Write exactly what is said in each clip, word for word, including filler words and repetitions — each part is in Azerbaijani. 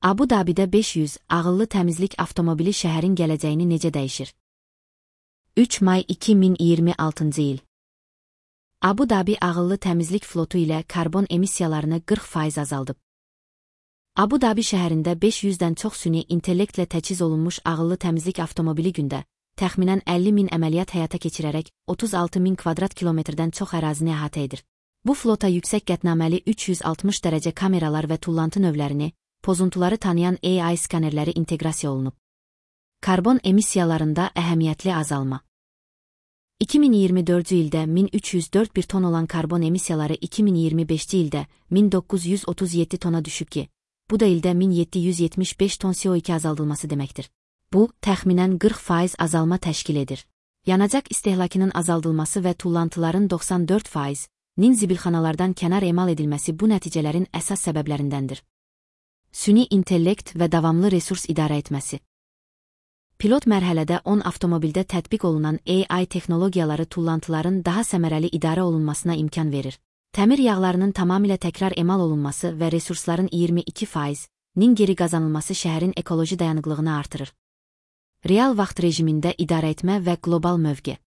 Abu Dabidə beş yüz ağıllı təmizlik avtomobili şəhərin gələcəyini necə dəyişir? üç may iki min iyirmi altıncı il. Abu Dabi ağıllı təmizlik flotu ilə karbon emissiyalarını qırx faiz azaldıb. Abu Dabi şəhərində beş yüzdən çox süni intellektlə təchiz olunmuş ağıllı təmizlik avtomobili gündə təxminən əlli min əməliyyat həyata keçirərək otuz altı min kvadrat kilometrdən çox ərazini əhatə edir. Bu flota yüksək qətnaməli üç yüz altmış dərəcə kameralar və tullantı növlərini, pozuntuları tanıyan A I skanerləri inteqrasiya olunub. Karbon emissiyalarında əhəmiyyətli azalma. iki min iyirmi dördüncü ildə min üç yüz dörd bir ton olan karbon emissiyaları iki min iyirmi beşinci ildə min doqquz yüz otuz yeddi tona düşüb ki, bu da ildə min yeddi yüz yetmiş beş ton C O iki azaldılması deməkdir. Bu, təxminən qırx faiz azalma təşkil edir. Yanacaq istehlakının azaldılması və tullantıların doxsan dörd faiz nin zibilxanalardan kənar emal edilməsi bu nəticələrin əsas səbəblərindəndir. Süni intellekt və davamlı resurs idarə etməsi. Pilot mərhələdə on avtomobildə tətbiq olunan A I texnologiyaları tullantıların daha səmərəli idarə olunmasına imkan verir. Təmir yağlarının tamamilə təkrar emal olunması və resursların iyirmi iki faiz nin geri qazanılması şəhərin ekoloji dayanıqlığını artırır. Real vaxt rejimində idarə etmə və qlobal mövqe.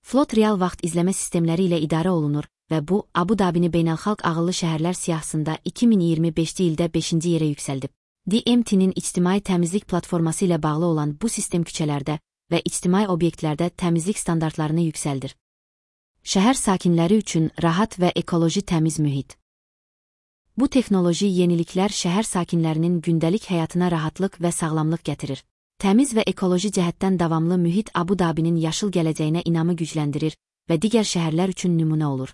Flot real vaxt izləmə sistemləri ilə idarə olunur və bu, Abu Dabini beynəlxalq ağıllı şəhərlər siyahısında iki min iyirmi beşinci ildə beşinci yerə yüksəldib. D M T-nin ictimai təmizlik platforması ilə bağlı olan bu sistem küçələrdə və ictimai obyektlərdə təmizlik standartlarını yüksəldir. Şəhər sakinləri üçün rahat və ekoloji təmiz mühit. Bu texnoloji yeniliklər şəhər sakinlərinin gündəlik həyatına rahatlıq və sağlamlıq gətirir. Təmiz və ekoloji cəhətdən davamlı mühit Abu Dabinin yaşıl gələcəyinə inamı gücləndirir və digər şəhərlər üçün nümunə olur.